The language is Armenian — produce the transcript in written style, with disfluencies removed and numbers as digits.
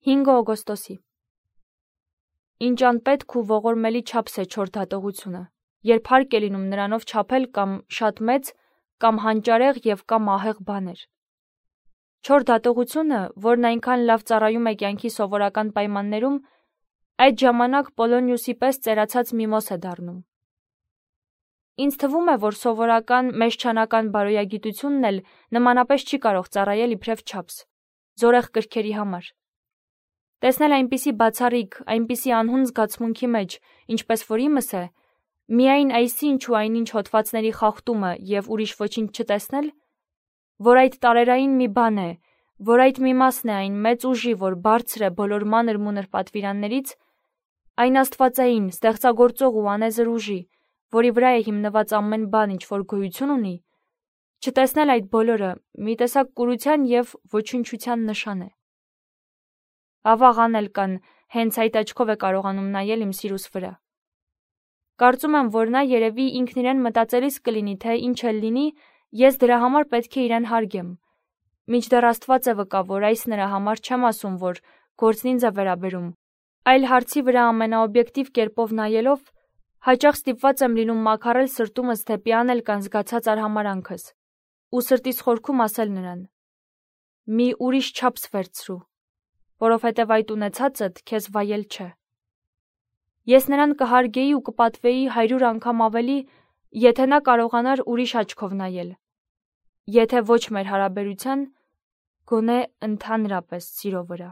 5 օգոստոսի։ Ինչ անպետք ու ողորմելի չափս է չոր դատողությունը, երբ հարկ է լինում նրանով չափել կամ շատ մեծ, կամ հանճարեղ և կամ ահեղ բաներ։ Չոր դատողությունը, որն այնքան լավ ծառայում է կյանքի սովորական պայմաններում, այդ ժամանակ Պոլոնիուսի պես ծերացած միմոս է դառնում։ Ինձ թվում է, որ սովորական մեջչանական բարոյագիտությունն էլ նմանապես չի կարող ծառայել իբրև չափս, զորեղ կրքերի համար։ Տեսնել այնպիսի բացառիկ, այնպիսի անհուն զգացմունքի մեջ, ինչպես որ իմս է, միայն այսինչ ու այնինչ հոդվածների խախտումը և ուրիշ ոչինչ չտեսնել, որ այդ տարերային մի բան է, որ այդ մի մասն է այն մեծ ուժի, որ բարձր է բոլոր մանր-մունր պատվիրաններից, այն աստվածային, ստեղծագործող ու անեզր ուժի, որի վրա է հիմնված ամեն բան, ինչ որ գոյություն ունի, չտեսնել այդ բոլորը մի տեսակ կուրության և ոչնչության նշան է։ Ավաղ անել կան, հենց այդ աչքով է կարողանում նայել իմ սիրուս վրա։ Կարծում եմ, որ նա երևի ինքն իրեն մտածելիս կլինի, թե ինչ էլ լինի, ես դրա համար պետք է իրեն հարգեմ։ Մինչդեռ Աստված է վկա, որ այս նրա համար չեմ ասում, որ գործն ինձ է վերաբերում, այլ հարցի վրա ամենաօբյեկտիվ կերպով նայելով, հաճախ ստիպված եմ լինում մաքարել սրտումս դեպի անել կան զգացած արհամարանքս ու սրտիս խորքում ասել նրան. «Մի ուրիշ չափս վերցրու, որովհետև այդ ունեցածդ քեզ վայել չէ»։ Ես նրան կհարգեի ու կպատվեի 100 անգամ ավելի, եթե նա կարողանար ուրիշ աչքով նայել, եթե ոչ մեր հարաբերության, գոնե ընդհանրապես սիրո վրա։